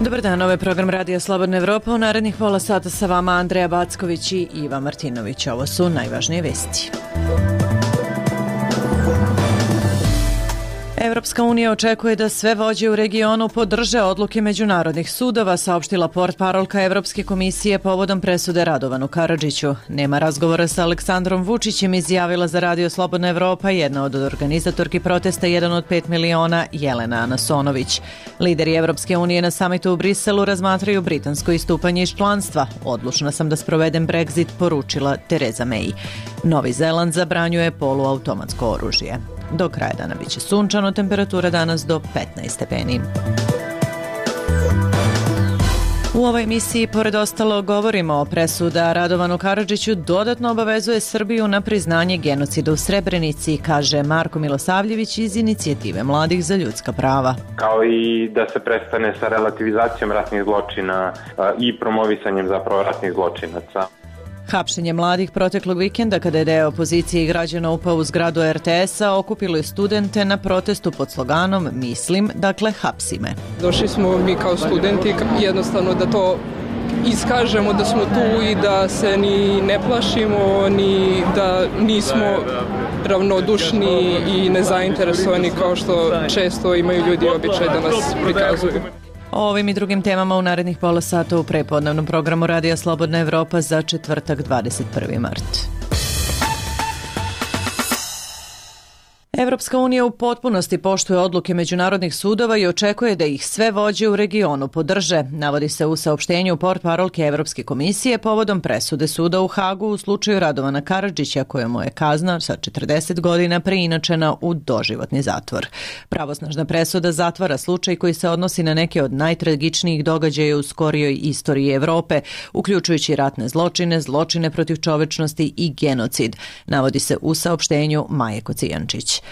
Dobar dan, ovo je program Radija Slobodna Evropa. U narednih pola sata sa vama Andreja Backović i Iva Martinović. Ovo su najvažnije vesti. Evropska unija očekuje da sve vođe u regionu podrže odluke međunarodnih sudova, saopštila portparolka Evropske komisije povodom presude Radovanu Karadžiću. Nema razgovora sa Aleksandrom Vučićem, izjavila za Radio Slobodna Evropa jedna od organizatorki protesta 1 od 5 miliona Jelena Anasonović. Lideri Evropske unije na samitu u Briselu razmatraju britansko istupanje iz članstva. Odlučna sam da sprovedem Brexit, poručila Tereza May. Novi Zeland zabranjuje poluautomatsko oružje. Do kraja dana biće sunčano, temperatura danas do 15 stepeni. U ovoj emisiji, pored ostalo, govorimo o presuda Radovanu Karadžiću dodatno obavezuje Srbiju na priznanje genocida u Srebrenici, kaže Marko Milosavljević iz Inicijative mladih za ljudska prava. Kao i da se prestane sa relativizacijom ratnih zločina i promovisanjem zapravo ratnih zločinaca. Hapšenje mladih proteklog vikenda, kada je deo opozicije i građana upao u zgradu RTS-a, okupilo je studente na protestu pod sloganom "Mislim, dakle hapsi me". Došli smo mi kao studenti jednostavno da to iskažemo, da smo tu i da se ni ne plašimo, ni da nismo ravnodušni i nezainteresovani kao što često imaju ljudi običaj da nas prikazuju. O ovim i drugim temama u narednih pola sata u prepodnevnom programu Radija Slobodna Evropa za četvrtak 21. mart. Evropska unija u potpunosti poštuje odluke međunarodnih sudova i očekuje da ih sve vođe u regionu podrže, navodi se u saopštenju portparolke Evropske komisije povodom presude suda u Hagu u slučaju Radovana Karadžića, kojemu je kazna sa 40 godina preinačena u doživotni zatvor. Pravosnažna presuda zatvara slučaj koji se odnosi na neke od najtragičnijih događaja u skorijoj istoriji Evrope, uključujući ratne zločine, zločine protiv čovečnosti i genocid, navodi se u saopštenju Maje Kocijančić.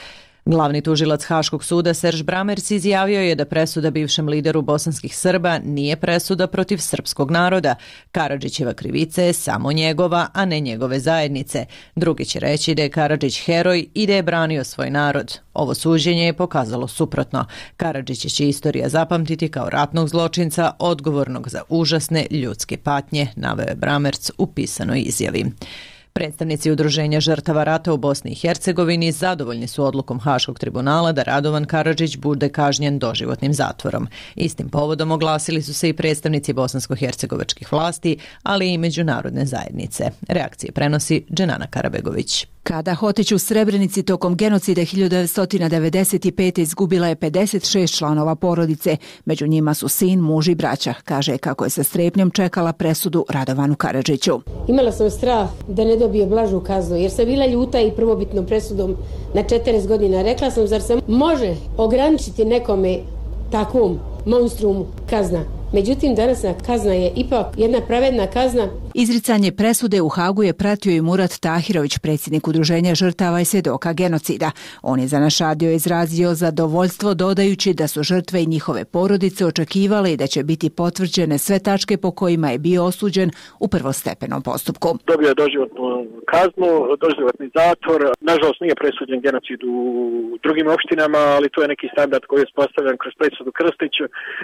Glavni tužilac Haškog suda Serž Bramers izjavio je da presuda bivšem lideru bosanskih Srba nije presuda protiv srpskog naroda. Karadžićeva krivica je samo njegova, a ne njegove zajednice. Drugi će reći da je Karadžić heroj i da je branio svoj narod. Ovo suđenje je pokazalo suprotno. Karadžića će istorija zapamtiti kao ratnog zločinca odgovornog za užasne ljudske patnje, naveo je Bramers u pisanoj izjavi. Predstavnici Udruženja žrtava rata u Bosni i Hercegovini zadovoljni su odlukom Haškog tribunala da Radovan Karadžić bude kažnjen doživotnim zatvorom. Istim povodom oglasili su se i predstavnici bosansko-hercegovačkih vlasti, ali i međunarodne zajednice. Reakcije prenosi Dženana Karabegović. Kada Hotić u Srebrenici tokom genocida 1995. izgubila je 56 članova porodice. Među njima su sin, muž i braća. Kaže kako je sa strepnjom čekala presudu Radovanu Karadžiću. Imala sam strah da ne dobije blažu kaznu jer sam bila ljuta i prvobitnom presudom na 40 godina. Rekla sam, zar se može ograničiti nekome takvom monstrumu kazna? Međutim, danasna kazna je ipak jedna pravedna kazna. Izricanje presude u Hagu je pratio i Murat Tahirović, predsjednik Udruženja žrtava i svjedoka genocida. On je za naš radio izrazio zadovoljstvo dodajući da su žrtve i njihove porodice očekivale i da će biti potvrđene sve tačke po kojima je bio osuđen u prvostepenom postupku. Dobio je doživotnu kaznu, doživotni zatvor. Nažalost nije presuđen genocid u drugim opštinama, ali to je neki standard koji je postavljen kroz presudu Krstić,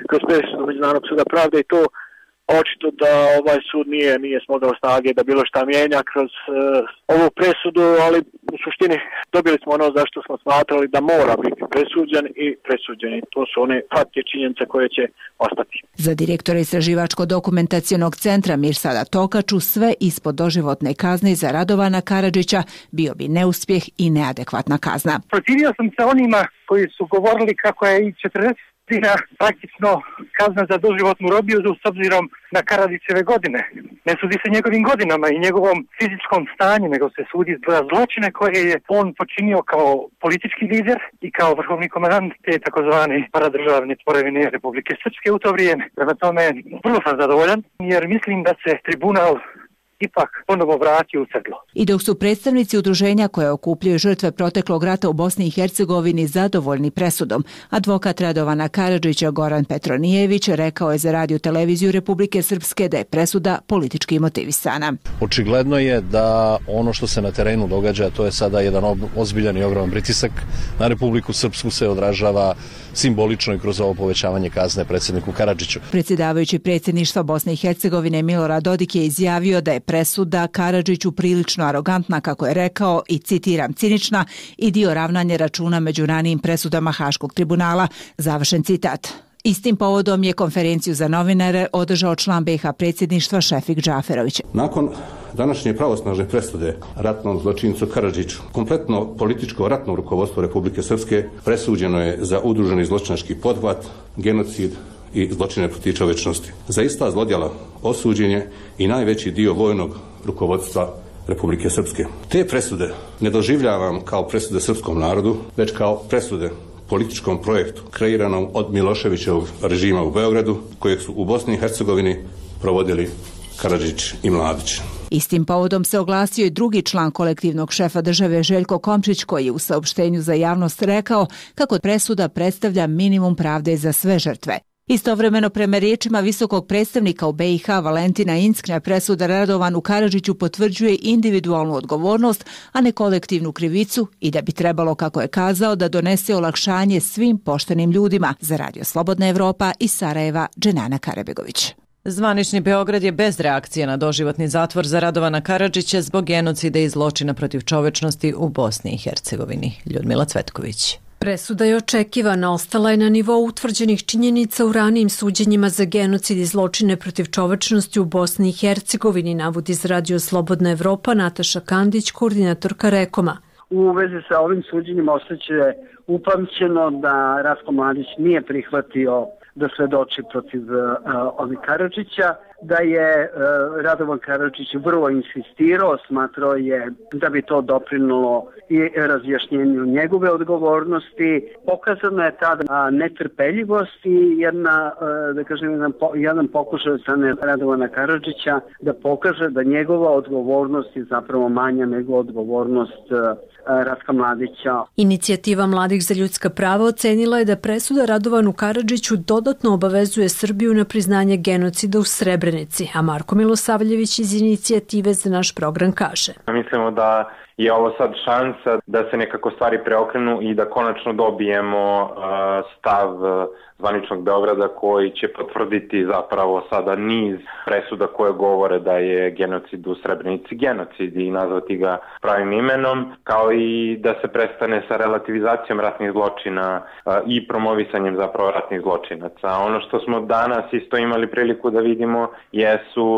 kroz presudu Međunarodnog suda pravde i to očito da ovaj sud nije smogao snage da bilo šta mijenja kroz ovu presudu, ali u suštini dobili smo ono zašto smo smatrali da mora biti presuđen i presuđeni. To su one fakti i činjenice koje će ostati. Za direktora Istraživačko-dokumentacionog centra Mirsada Tokaču sve ispod doživotne kazne za Radovana Karadžića bio bi neuspjeh i neadekvatna kazna. Protivio sam se onima koji su govorili kako je i 40 praktično kazna za doživotnu robiju s obzirom na Karadžićeve godine. Ne sudi se njegovim godinama i njegovom fizičkom stanju, nego se sudi za zločine koje je on počinio kao politički lider i kao vrhovni komandant te takozvane paradržavne tvorevine Republike Srpske u to vrijeme. Prema tome, vrlo sam zadovoljan jer mislim da se tribunal ipak ponovo vratio u sedlo. I dok su predstavnici udruženja koje okupljaju žrtve proteklog rata u Bosni i Hercegovini zadovoljni presudom, advokat Radovana Karadžića Goran Petronijević rekao je za Radio televiziju Republike Srpske da je presuda politički motivisana. Očigledno je da ono što se na terenu događa, to je sada jedan ozbiljan i ogroman pritisak na Republiku Srpsku, se odražava simbolično i kroz ovo povećavanje kazne predsjedniku Karadžiću. Predsjedavajući predsjedništva Bosne i Hercegovine Milorad Dodik je izjavio da je presuda Karadžiću prilično arogantna, kako je rekao, i citiram, cinična i dio ravnanja računa među ranijim presudama Haškog tribunala. Završen citat. Istim povodom je konferenciju za novinare održao član BiH predsjedništva Šefik Džaferović. Nakon današnje pravosnažne presude ratnom zločincu Karadžiću, kompletno političko ratno rukovodstvo Republike Srpske presuđeno je za udruženi zločinački pothvat, genocid i zločine protiv čovječnosti. Za ista zlodjela osuđen je i najveći dio vojnog rukovodstva Republike Srpske. Te presude ne doživljavam kao presude srpskom narodu, već kao presude političkom projektu kreiranom od Miloševićevog režima u Beogradu, kojeg su u Bosni i Hercegovini provodili Karadžić i Mladić. Istim povodom se oglasio i drugi član kolektivnog šefa države Željko Komšić, koji je u saopštenju za javnost rekao kako presuda predstavlja minimum pravde za sve žrtve. Istovremeno, prema riječima visokog predstavnika u BiH Valentina Incknja, presuda Radovanu Karadžiću potvrđuje individualnu odgovornost, a ne kolektivnu krivicu, i da bi trebalo, kako je kazao, da donese olakšanje svim poštenim ljudima. Za Radio Slobodna Evropa iz Sarajeva, Dženana Karabegović. Zvanični Beograd je bez reakcije na doživotni zatvor za Radovana Karadžića zbog genocida i zločina protiv čovečnosti u Bosni i Hercegovini. Ljudmila Cvetković. Presuda je očekivana, ostala je na nivou utvrđenih činjenica u ranijim suđenjima za genocid i zločine protiv čovečnosti u Bosni i Hercegovini, navodi za Radio Slobodna Evropa Nataša Kandić, koordinatorka Rekoma. U vezi sa ovim suđenjima ostaće upamćeno da Ratko Mladić nije prihvatio da svedoči protiv Karadžića, da je Radovan Karadžić vrlo insistirao, smatrao je da bi to doprinulo i razjašnjenju njegove odgovornosti. Pokazano je tada netrpeljivost i jedan pokušaj od strane Radovana Karadžića da pokaže da njegova odgovornost je zapravo manja nego odgovornost Ratka Mladića. Inicijativa Mladih za ljudska prava ocenila je da presuda Radovanu Karadžiću dodatno obavezuje Srbiju na priznanje genocida u Srebrenici, a Marko Milosavljević iz Inicijative za naš program kaže. Mislimo da je ovo sad šansa da se nekako stvari preokrenu i da konačno dobijemo stav zvaničnog Beograda koji će potvrditi zapravo sada niz presuda koje govore da je genocid u Srebrenici genocid i nazvati ga pravim imenom, kao i da se prestane sa relativizacijom ratnih zločina i promovisanjem zapravo ratnih zločinaca. Ono što smo danas isto imali priliku da vidimo jesu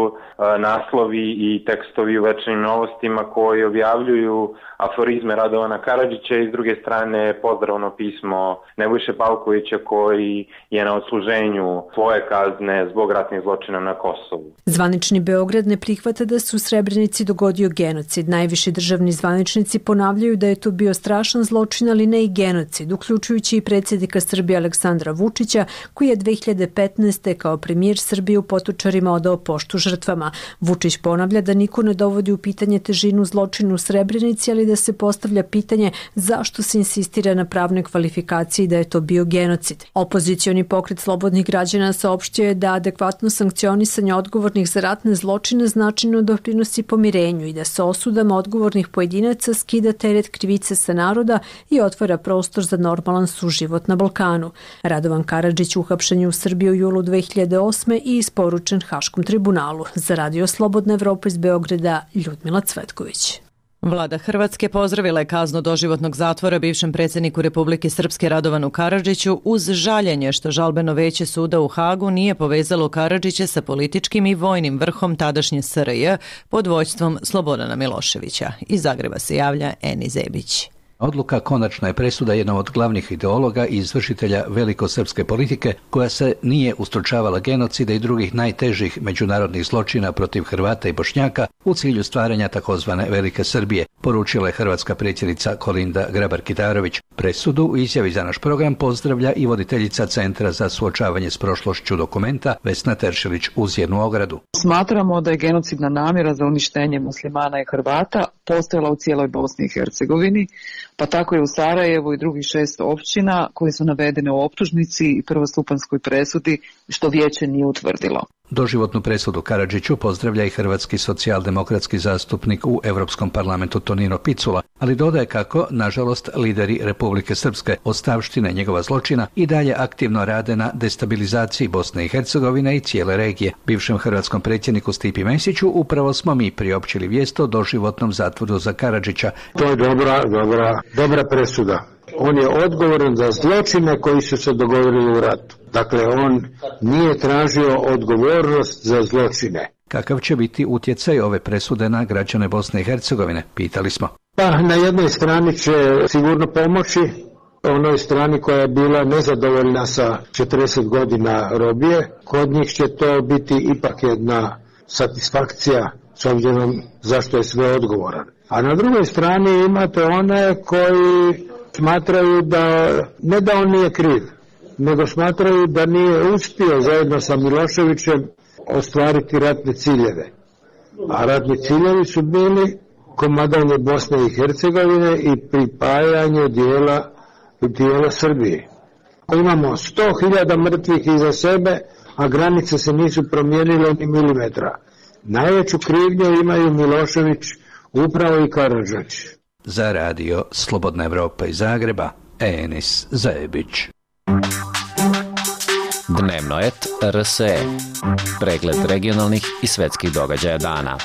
naslovi i tekstovi u Večernjim novostima koji objavljuju aforizme Radovana Karadžića i s druge strane pozdravno pismo Nebojše Pavkovića koji je na odsluženju svoje kazne zbog ratnih zločina na Kosovu. Zvanični Beograd ne prihvata da se u Srebrenici dogodio genocid. Najviši državni zvaničnici ponavljaju da je to bio strašan zločin, ali ne i genocid, uključujući i predsjednika Srbije Aleksandra Vučića, koji je 2015. kao premijer Srbije u Potočarima odao poštu žrtvama. Vučić ponavlja da niko ne dovodi u pitanje težinu zločina u Srebrenici, ali da se postavlja pitanje zašto se insistira na pravnoj kvalifikaciji da je to bio genocid. Opozicioni pokret slobodnih građana saopštio je da adekvatno sankcionisanje odgovornih za ratne zločine značajno doprinosi pomirenju i da se osudama odgovornih pojedinaca skida teret krivice sa naroda i otvara prostor za normalan suživot na Balkanu. Radovan Karadžić uhapšen je u Srbiji u julu 2008. i isporučen Haškom tribunalu. Za Radio Slobodna Evropa iz Beograda, Ljudmila Cvetković. Vlada Hrvatske pozdravila je kaznu doživotnog zatvora bivšem predsjedniku Republike Srpske Radovanu Karadžiću uz žaljenje što žalbeno veće suda u Hagu nije povezalo Karadžića sa političkim i vojnim vrhom tadašnje SRJ pod vođstvom Slobodana Miloševića. Iz Zagreba se javlja Eni Zebić. Odluka konačna je presuda jednog od glavnih ideologa i izvršitelja velikosrpske politike koja se nije ustručavala genocida i drugih najtežih međunarodnih zločina protiv Hrvata i Bošnjaka u cilju stvaranja takozvane Velike Srbije, poručila je hrvatska predsjednica Kolinda Grabar-Kitarović. Presudu u izjavi za naš program pozdravlja i voditeljica Centra za suočavanje s prošlošću Dokumenta Vesna Teršelić uz jednu ogradu. Smatramo da je genocidna namjera za uništenje muslimana i Hrvata postojala u cijeloj Bosni i Hercegovini, pa tako i u Sarajevu i drugih 6 općina koje su navedene u optužnici i prvostupanjskoj presudi, što vijeće nije utvrdilo. Doživotnu presudu Karadžiću pozdravlja i hrvatski socijaldemokratski zastupnik u Europskom parlamentu Tonino Picula, ali dodaje kako, nažalost, lideri Republike Srpske ostavštine njegova zločina i dalje aktivno rade na destabilizaciji Bosne i Hercegovine i cijele regije. Bivšem hrvatskom predsjedniku Stipi Mesiću upravo smo mi priopćili vijest o doživotnom zatvoru za Karadžića. To je dobra presuda. On je odgovoran za zločine koji su se dogodili u ratu. Dakle, on nije tražio odgovornost za zločine. Kakav će biti utjecaj ove presude na građane Bosne i Hercegovine, pitali smo. Pa, na jednoj strani će sigurno pomoći onoj strani koja je bila nezadovoljna sa 40 godina robije. Kod njih će to biti ipak jedna satisfakcija s obzirom zašto je sve odgovoran. A na drugoj strani imate one koji smatraju da, ne da on nije kriv, nego smatraju da nije uspio zajedno sa Miloševićem ostvariti ratne ciljeve. A ratni ciljevi su bili komadanje Bosne i Hercegovine i pripajanje dijela Srbije. Imamo 100.000 mrtvih iza sebe, a granice se nisu promijenile ni milimetra. Najveću krivnju imaju Milošević, upravo i Karadžić. Za radio Slobodna Evropa iz Zagreba, Enis Zajebić. Dnevnoet RSE. Pregled regionalnih i svetskih događaja dana.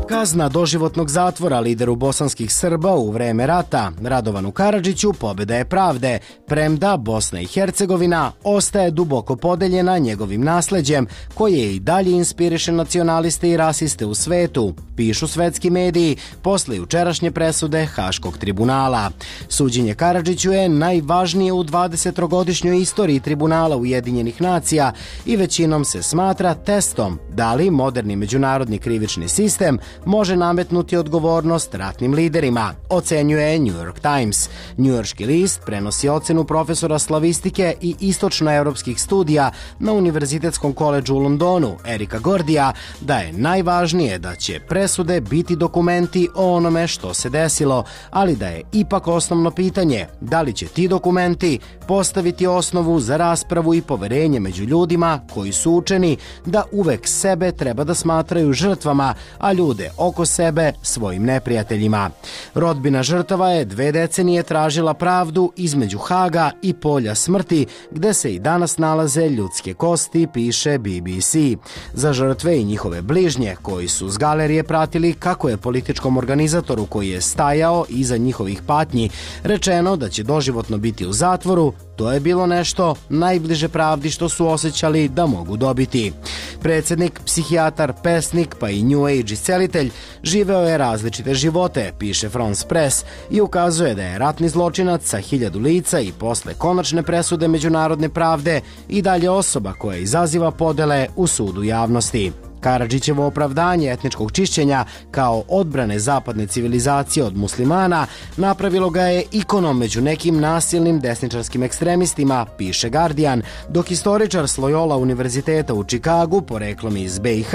Kazna doživotnog zatvora lideru bosanskih Srba u vreme rata, Radovanu Karadžiću, pobjeda je pravde, premda Bosna i Hercegovina ostaje duboko podeljena njegovim nasleđem, koje i dalje inspiriše nacionaliste i rasiste u svetu, pišu svetski mediji posle jučerašnje presude Haškog tribunala. Suđenje Karadžiću je najvažnije u 20-godišnjoj istoriji tribunala Ujedinjenih nacija i većinom se smatra testom da li moderni međunarodni krivični sistem može nametnuti odgovornost ratnim liderima, ocenjuje New York Times. Njujorški list prenosi ocenu profesora slavistike i istočnoevropskih studija na Univerzitetskom koledžu u Londonu, Erika Gordija, da je najvažnije da će presude biti dokumenti o onome što se desilo, ali da je ipak osnovno pitanje da li će ti dokumenti postaviti osnovu za raspravu i poverenje među ljudima koji su učeni da uvek sebe treba da smatraju žrtvama, a ljude oko sebe svojim neprijateljima. Rodbina žrtava je 2 decenije tražila pravdu između Haga i polja smrti, gde se i danas nalaze ljudske kosti, piše BBC. Za žrtve i njihove bližnje, koji su s galerije pratili kako je političkom organizatoru koji je stajao iza njihovih patnji rečeno da će doživotno biti u zatvoru, to je bilo nešto najbliže pravdi što su osjećali da mogu dobiti. Predsjednik, psihijatar, pesnik pa i New Age iscelitelj živeo je različite živote, piše France Press, i ukazuje da je ratni zločinac sa 1000 lica i posle konačne presude međunarodne pravde i dalje osoba koja izaziva podele u sudu javnosti. Karadžićevo opravdanje etničkog čišćenja kao odbrane zapadne civilizacije od muslimana napravilo ga je ikonom među nekim nasilnim desničarskim ekstremistima, piše Guardian, dok istoričar s Loyola univerziteta u Čikagu, poreklom iz BiH,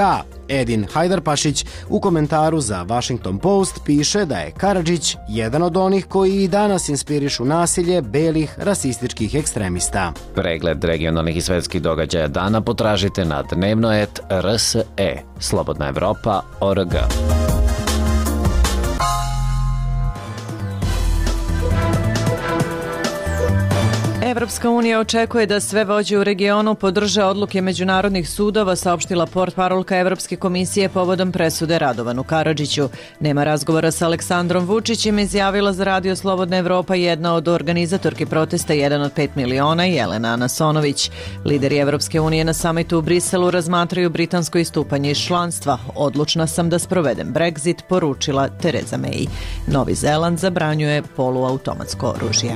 Edin Hajdarpašić, u komentaru za Washington Post piše da je Karadžić jedan od onih koji i danas inspirišu nasilje belih rasističkih ekstremista. Pregled regionalnih i svetskih događaja dana potražite na Dnevnoet RSE. Slobodna Evropa.org. Evropska unija očekuje da sve vođe u regionu podrže odluke međunarodnih sudova, saopštila portparolka Evropske komisije povodom presude Radovanu Karadžiću. Nema razgovora sa Aleksandrom Vučićem, izjavila za radio Slobodna Evropa jedna od organizatorki protesta 1 od 5 miliona, Jelena Anasonović. Lideri Evropske unije na samitu u Briselu razmatraju britansko istupanje iz članstva. Odlučna sam da sprovedem Brexit, poručila Tereza May. Novi Zeland zabranjuje poluautomatsko oružje.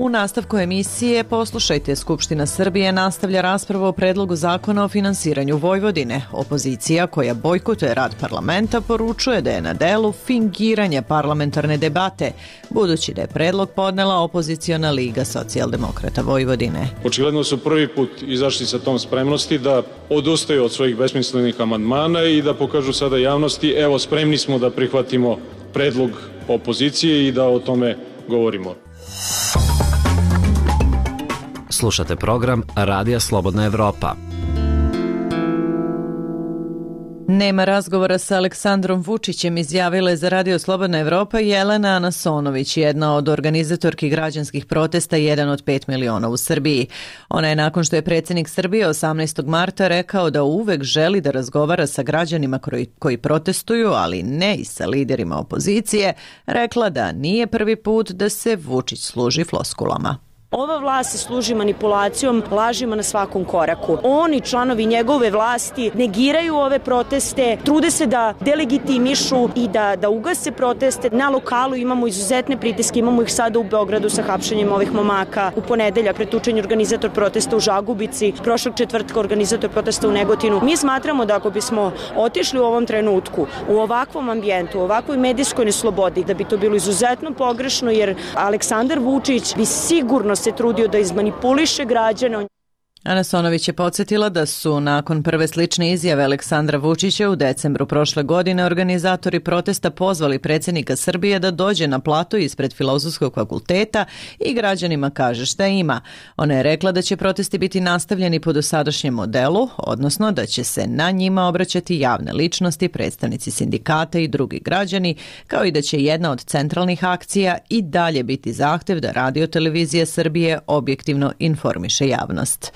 U nastavku emisije poslušajte, Skupština Srbije nastavlja raspravu o predlogu zakona o finansiranju Vojvodine. Opozicija koja bojkotuje rad parlamenta poručuje da je na delu fingiranje parlamentarne debate, budući da je predlog podnela opoziciona Liga socijaldemokrata Vojvodine. Očigledno su prvi put izašli sa tom spremnosti da odustaju od svojih besmislenih amandmana i da pokažu sada javnosti, evo spremni smo da prihvatimo predlog opozicije i da o tome govorimo. Slušate program Radija Slobodna Evropa. Nema razgovora sa Aleksandrom Vučićem, izjavila je za Radio Slobodna Evropa Jelena Anasonović, jedna od organizatorki građanskih protesta 1 od 5 miliona u Srbiji. Ona je nakon što je predsjednik Srbije 18. marta rekao da uvek želi da razgovara sa građanima koji protestuju, ali ne i sa liderima opozicije, rekla da nije prvi put da se Vučić služi floskulama. Ova vlast se služi manipulacijom, lažima na svakom koraku. Oni, članovi njegove vlasti, negiraju ove proteste, trude se da delegitimišu i da ugase proteste. Na lokalu imamo izuzetne pritiske, imamo ih sada u Beogradu sa hapšenjem ovih momaka. U ponedeljak pretučen je organizator protesta u Žagubici, prošlog četvrtka organizator protesta u Negotinu. Mi smatramo da ako bismo otišli u ovom trenutku, u ovakvom ambijentu, u ovakvoj medijskoj neslobodi, da bi to bilo izuzetno pogrešno, jer Aleksandar Vučić bi sigurno se trudio da izmanipuliše građane. Anasonović je podsjetila da su nakon prve slične izjave Aleksandra Vučića u decembru prošle godine organizatori protesta pozvali predsjednika Srbije da dođe na plato ispred Filozofskog fakulteta i građanima kaže šta ima. Ona je rekla da će protesti biti nastavljeni po dosadašnjem modelu, odnosno da će se na njima obraćati javne ličnosti, predstavnici sindikata i drugi građani, kao i da će jedna od centralnih akcija i dalje biti zahtev da Radio televizija Srbije objektivno informiše javnost.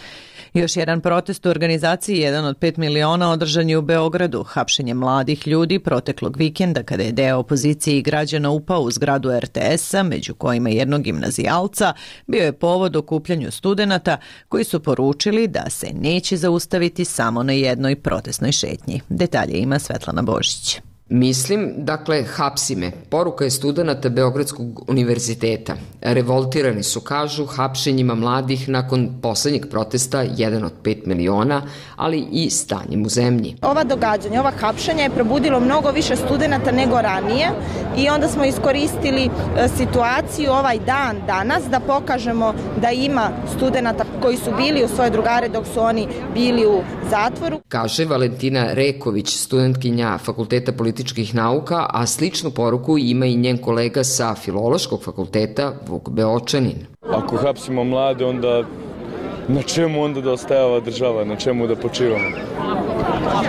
Još jedan protest u organizaciji 1 od 5 miliona održan je u Beogradu. Hapšenje mladih ljudi proteklog vikenda kada je deo opozicije i građana upao u zgradu RTS-a, među kojima jednog gimnazijalca, bio je povod okupljanju studenata koji su poručili da se neće zaustaviti samo na jednoj protestnoj šetnji. Detalje ima Svetlana Božić. Mislim, dakle, hapsi me. Poruka je studenata Beogradskog univerziteta. Revoltirani su, kažu, hapšenjima mladih nakon poslednjeg protesta 1 od 5 miliona, ali i stanjem u zemlji. Ova događanja, ova hapšenja je probudilo mnogo više studenata nego ranije i onda smo iskoristili situaciju ovaj dan danas da pokažemo da ima studenata koji su bili u svoje drugare dok su oni bili u zatvoru. Kaže Valentina Reković, studentkinja Fakulteta političkih nauka, a sličnu poruku ima i njen kolega sa Filološkog fakulteta Vuk Beočanin. Ako hapsimo mlade, onda na čemu onda da ostaje ova država, na čemu da počivamo?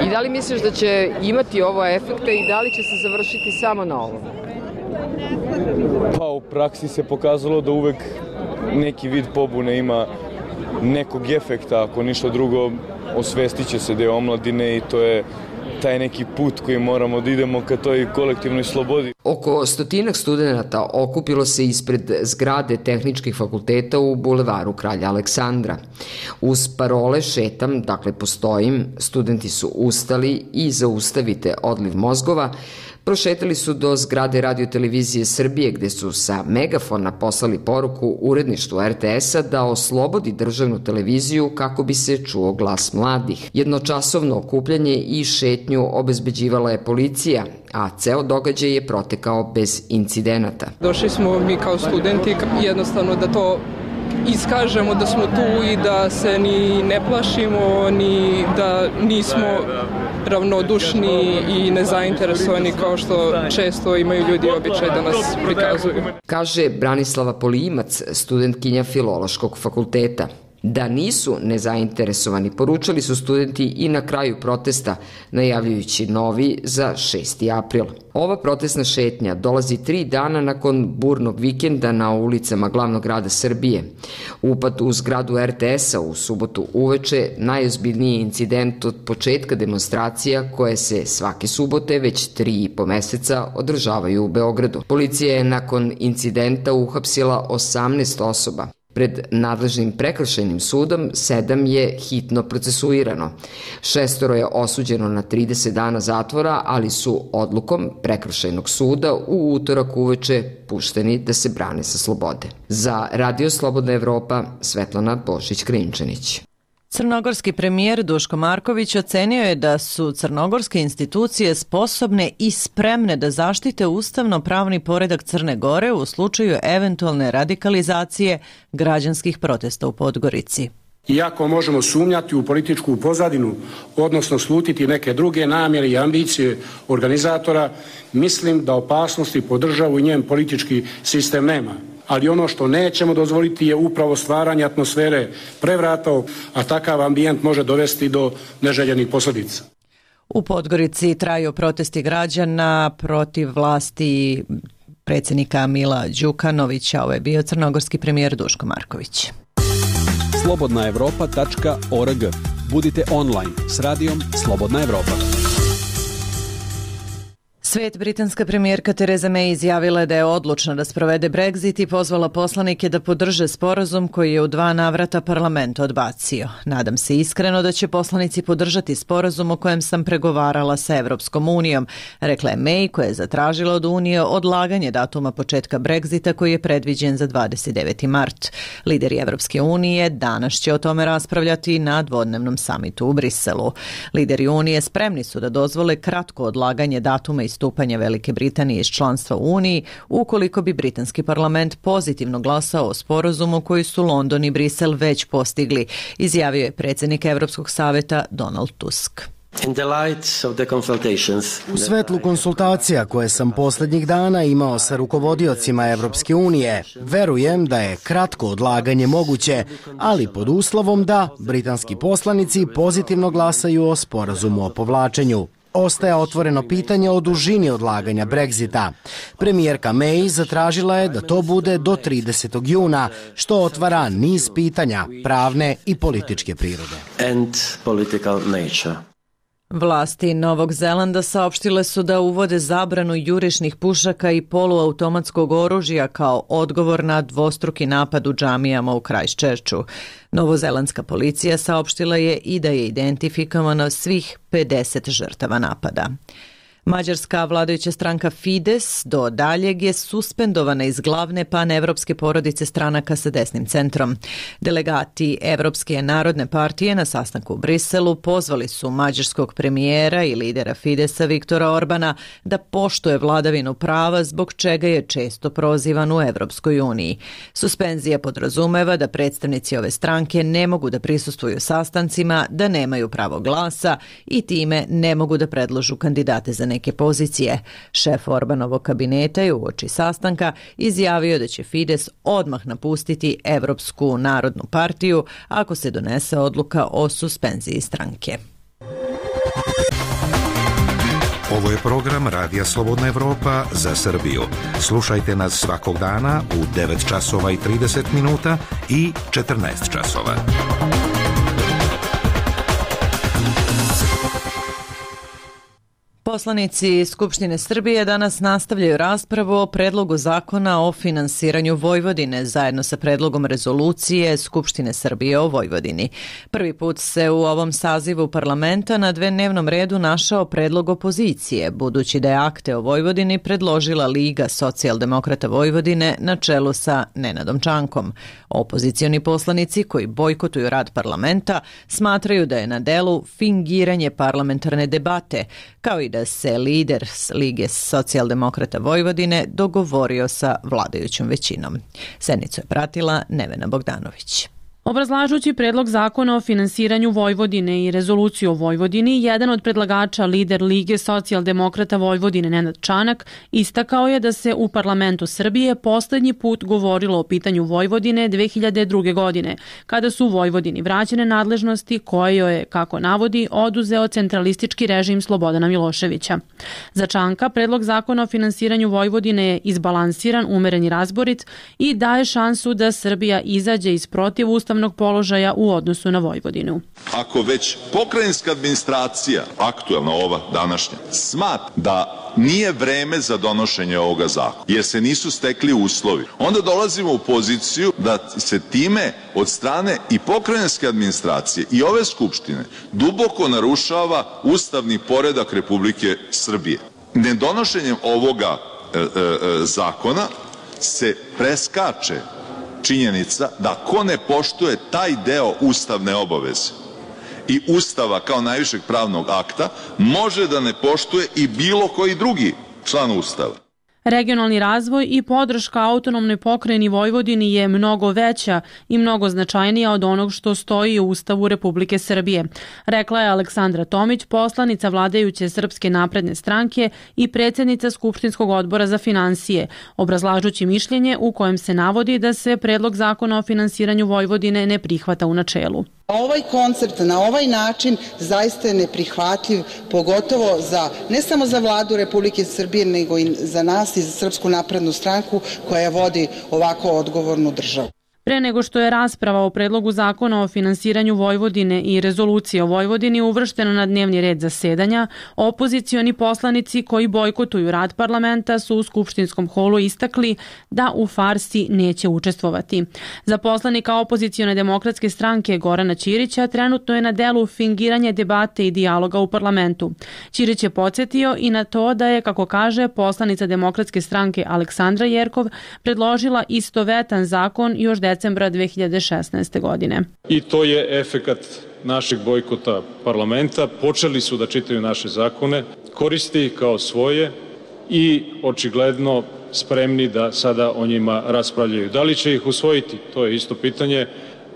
I da li misliš da će imati ovo efekte i da li će se završiti samo na ovom? Pa u praksi se pokazalo da uvek neki vid pobune ima nekog efekta, ako ništa drugo osvestit će se deo omladine i to je taj neki put koji moramo da idemo ka toj kolektivnoj slobodi. Oko 100 studenata okupilo se ispred zgrade tehničkih fakulteta u bulevaru Kralja Aleksandra. Uz parole šetam, dakle postojim, studenti su ustali i zaustavite odliv mozgova, prošetali su do zgrade Radio televizije Srbije gde su sa megafona poslali poruku uredništvu RTS-a da oslobodi državnu televiziju kako bi se čuo glas mladih. Jednočasovno okupljanje i šetnju obezbeđivala je policija, a ceo događaj je protekao bez incidenata. Došli smo mi kao studenti jednostavno da to iskažemo da smo tu i da se ni ne plašimo, ni da nismo ravnodušni i nezainteresovani kao što često imaju ljudi običaj da nas prikazuju. Kaže Branislava Polimac, studentkinja Filološkog fakulteta. Da nisu nezainteresovani, poručali su studenti i na kraju protesta, najavljujući novi za 6. april. Ova protestna šetnja dolazi 3 dana nakon burnog vikenda na ulicama glavnog grada Srbije. Upad u zgradu RTS-a u subotu uveče najozbiljniji incident od početka demonstracija koje se svake subote već 3,5 meseca održavaju u Beogradu. Policija je nakon incidenta uhapsila 18 osoba. Pred nadležnim prekršajnim sudom 7 je hitno procesuirano. 6 je osuđeno na 30 dana zatvora, ali su odlukom prekršajnog suda u utorak uveče pušteni da se brane sa slobode. Za Radio Slobodna Evropa, Svetlana Božić-Krinčanić. Crnogorski premijer Duško Marković ocenio je da su crnogorske institucije sposobne i spremne da zaštite ustavno-pravni poredak Crne Gore u slučaju eventualne radikalizacije građanskih protesta u Podgorici. Iako možemo sumnjati u političku pozadinu, odnosno slutiti neke druge namjere i ambicije organizatora, mislim da opasnosti po državu i njen politički sistem nema. ali ono što nećemo dozvoliti je upravo stvaranje atmosfere prevrata, a takav ambijent može dovesti do neželjenih posljedica. U Podgorici traju protesti građana protiv vlasti predsjednika Mila Đukanovića. Ovo je bio crnogorski premijer Duško Marković. Slobodnaevropa.org. Budite online s radijom Slobodna Evropa. Svet britanska premijerka Theresa May izjavila je da je odlučna da sprovede Brexit i pozvala poslanike da podrže sporazum koji je u 2 navrata parlament odbacio. Nadam se iskreno da će poslanici podržati sporazum o kojem sam pregovarala sa Evropskom unijom, rekla je May, koja je zatražila od Unije odlaganje datuma početka Brexita koji je predviđen za 29. mart. Lideri Evropske unije danas će o tome raspravljati na dvodnevnom samitu u Briselu. Lideri Unije spremni su da dozvole kratko odlaganje datuma istupanja Velike Britanije iz članstva u Uniji ukoliko bi britanski parlament pozitivno glasao o sporazumu koji su London i Brisel već postigli, izjavio je predsjednik Evropskog saveta Donald Tusk. U svetlu konsultacija koje sam posljednjih dana imao sa rukovodiocima Evropske unije, verujem da je kratko odlaganje moguće, ali pod uslovom da britanski poslanici pozitivno glasaju o sporazumu o povlačenju. Ostaje otvoreno pitanje o dužini odlaganja Brexita. Premijerka May zatražila je da to bude do 30. juna, što otvara niz pitanja pravne i političke prirode. Vlasti Novog Zelanda saopštile su da uvode zabranu jurišnih pušaka i poluautomatskog oružja kao odgovor na dvostruki napad u džamijama u Christchurchu. Novozelandska policija saopštila je i da je identifikovano svih 50 žrtava napada. Mađarska vladajuća stranka Fides do daljeg je suspendovana iz glavne panevropske porodice stranaka sa desnim centrom. Delegati Evropske narodne partije na sastanku u Briselu pozvali su mađarskog premijera i lidera Fidesa Viktora Orbana da poštuje vladavinu prava, zbog čega je često prozivan u Evropskoj uniji. Suspenzija podrazumeva da predstavnici ove stranke ne mogu da prisustvuju sastancima, da nemaju pravo glasa i time ne mogu da predložu kandidate za neke pozicije. Šef Orbanovog kabineta je uoči sastanka izjavio da će Fides odmah napustiti Evropsku narodnu partiju ako se donese odluka o suspenziji stranke. Ovo je program Radija Slobodna Evropa za Srbiju. Slušajte nas svakog dana u 9 časova i 30 minuta i 14 časova. Poslanici Skupštine Srbije danas nastavljaju raspravu o predlogu zakona o finansiranju Vojvodine zajedno sa predlogom rezolucije Skupštine Srbije o Vojvodini. Prvi put se u ovom sazivu parlamenta na dnevnom redu našao predlog opozicije, budući da je akte o Vojvodini predložila Liga socijaldemokrata Vojvodine na čelu sa Nenadom Čankom. Opozicioni poslanici koji bojkotuju rad parlamenta smatraju da je na delu fingiranje parlamentarne debate, kao i da se lider Lige socijaldemokrata Vojvodine dogovorio sa vladajućom većinom. Sednicu je pratila Nevena Bogdanović. Obrazlažući predlog zakona o finansiranju Vojvodine i rezoluciju o Vojvodini, jedan od predlagača, lider Lige socijaldemokrata Vojvodine Nenad Čanak, istakao je da se u parlamentu Srbije poslednji put govorilo o pitanju Vojvodine 2002. godine, kada su Vojvodini vraćene nadležnosti koje joj je, kako navodi, oduzeo centralistički režim Slobodana Miloševića. Za Čanka predlog zakona o finansiranju Vojvodine je izbalansiran, umeren i razborit i daje šansu da Srbija izađe iz protivustavnog položaja u odnosu na Vojvodinu. Ako već pokrajinska administracija, aktuelna ova današnja, smatra da nije vreme za donošenje ovoga zakona, jer se nisu stekli uslovi, onda dolazimo u poziciju da se time od strane i pokrajinske administracije i ove Skupštine duboko narušava ustavni poredak Republike Srbije. Nedonošenjem ovoga zakona se preskače činjenica da ko ne poštuje taj deo ustavne obaveze i Ustava kao najvišeg pravnog akta može da ne poštuje i bilo koji drugi član Ustava. Regionalni razvoj i podrška autonomnoj pokrajini Vojvodini je mnogo veća i mnogo značajnija od onog što stoji u Ustavu Republike Srbije, rekla je Aleksandra Tomić, poslanica vladajuće Srpske napredne stranke i predsjednica Skupštinskog odbora za finansije, obrazlažući mišljenje u kojem se navodi da se predlog zakona o finansiranju Vojvodine ne prihvata u načelu. Ovaj koncept na ovaj način zaista je neprihvatljiv, pogotovo ne samo za vladu Republike Srbije, nego i za nas i za Srpsku naprednu stranku koja vodi ovako odgovornu državu. Pre nego što je rasprava o predlogu zakona o finansiranju Vojvodine i rezolucije o Vojvodini uvrštena na dnevni red zasedanja, opozicioni poslanici koji bojkotuju rad parlamenta su u skupštinskom holu istakli da u farsi neće učestvovati. Za poslanika opozicione demokratske stranke Gorana Ćirića trenutno je na delu fingiranje debate i dijaloga u parlamentu. Ćirić je podsjetio i na to da je, kako kaže, poslanica demokratske stranke Aleksandra Jerkov predložila istovetan zakon još decembra 2016. godine. I to je efekat našeg bojkota parlamenta. Počeli su da čitaju naše zakone, koriste ih kao svoje i očigledno spremni da sada o njima raspravljaju. Da li će ih usvojiti? To je isto pitanje.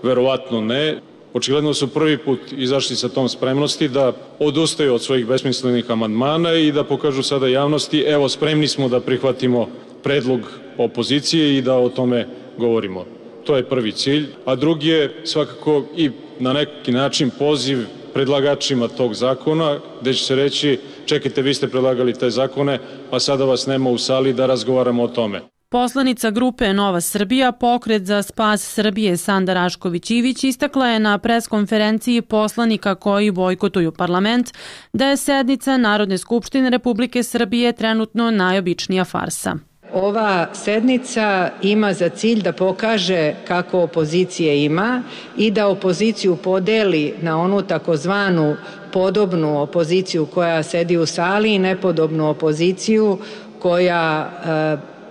Verovatno ne. Očigledno su prvi put izašli sa tom spremnosti da odustaju od svojih besmislenih amandmana i da pokažu sada javnosti, evo, spremni smo da prihvatimo predlog opozicije i da o tome govorimo. To je prvi cilj, a drugi je svakako i na neki način poziv predlagačima tog zakona, gde će se reći, čekajte, vi ste predlagali te zakone, a sada vas nema u sali da razgovaramo o tome. Poslanica grupe Nova Srbija, Pokret za spas Srbije Sanda Rašković-Ivić istakla je na preskonferenciji poslanika koji bojkotuju parlament da je sednica Narodne skupštine Republike Srbije trenutno najobičnija farsa. Ova sednica ima za cilj da pokaže kako opozicije ima i da opoziciju podeli na onu takozvanu podobnu opoziciju koja sedi u sali i nepodobnu opoziciju koja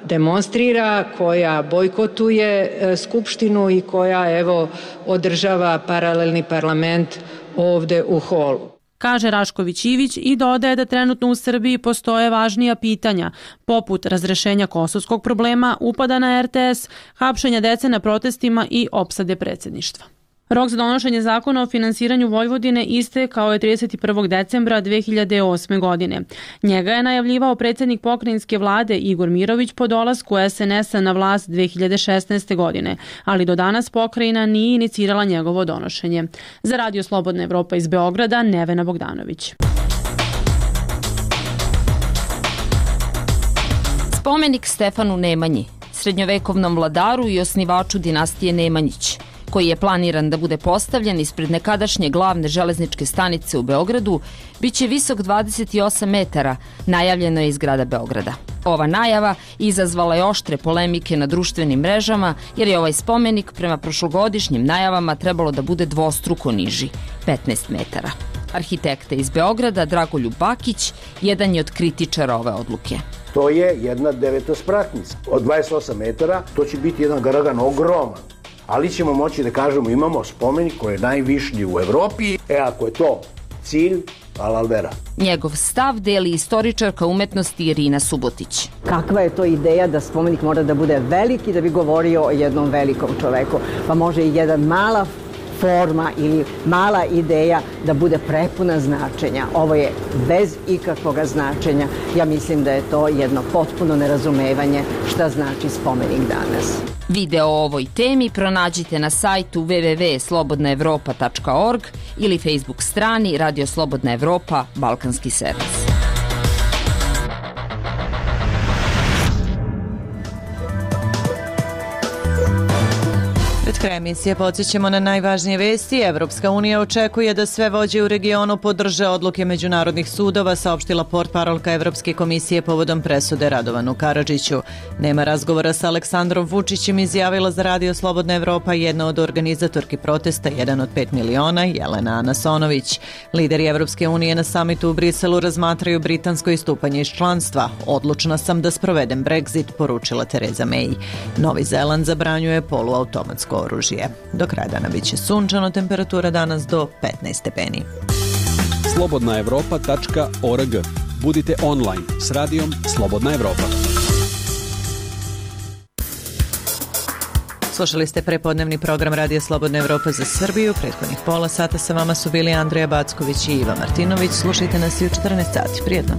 demonstrira, koja bojkotuje Skupštinu i koja, evo, održava paralelni parlament ovde u holu. Kaže Rašković-Ivić i dodaje da trenutno u Srbiji postoje važnija pitanja, poput razrešenja kosovskog problema, upada na RTS, hapšenja dece na protestima i opsade predsjedništva. Rok za donošenje zakona o finansiranju Vojvodine istekao je 31. decembra 2008. godine. Njega je najavljivao predsjednik pokrajinske vlade Igor Mirović po dolasku SNS-a na vlast 2016. godine, ali do danas pokrajina nije inicirala njegovo donošenje. Za Radio Slobodna Evropa iz Beograda, Nevena Bogdanović. Spomenik Stefanu Nemanji, srednjovekovnom vladaru i osnivaču dinastije Nemanjić, koji je planiran da bude postavljen ispred nekadašnje glavne železničke stanice u Beogradu, biće visok 28 metara, najavljeno je iz grada Beograda. Ova najava izazvala je oštre polemike na društvenim mrežama, jer je ovaj spomenik prema prošlogodišnjim najavama trebalo da bude dvostruko niži, 15 metara. Arhitekta iz Beograda, Dragoljub Bakić, jedan je od kritičara ove odluke. To je jedna devetospratnica. Od 28 metara to će biti jedan garagan ogroman. Ali ćemo moći da kažemo imamo spomenik koji je najvišlji u Evropi. Ako je to cilj, alalvera. Njegov stav deli istoričarka umetnosti Irina Subotić. Kakva je to ideja da spomenik mora da bude veliki da bi govorio o jednom velikom čoveku? Pa može i jedna mala forma ili mala ideja da bude prepuna značenja. Ovo je bez ikakvog značenja. Ja mislim da je to jedno potpuno nerazumevanje šta znači spomenik danas. Video o ovoj temi pronađite na sajtu www.slobodnaevropa.org ili Facebook strani Radio Slobodna Evropa Balkanski servis. Pred krajem emisije podsjećamo na najvažnije vesti. Evropska unija očekuje da sve vođe u regionu podrže odluke međunarodnih sudova, saopštila portparolka Evropske komisije povodom presude Radovanu Karadžiću. Nema razgovora sa Aleksandrom Vučićem, izjavila za Radio Slobodna Evropa jedna od organizatorki protesta, 1 od 5 miliona, Jelena Anasonović. Lideri Evropske unije na samitu u Briselu razmatraju britansko istupanje iz članstva. Odlučna sam da sprovedem Brexit, poručila Tereza May. Novi Zeland zabranjuje poluautomatsko oružje. Do kraja dana biće sunčano, temperatura danas do 15 stepeni. Slobodnaevropa.org. Budite online s radijom Slobodna Evropa. Slušali ste prepodnevni program Radija Slobodna Evropa za Srbiju. Prethodnih pola sata sa vama su bili Andreja Backović i Iva Martinović. Slušajte nas i u 14 sati. Prijetno.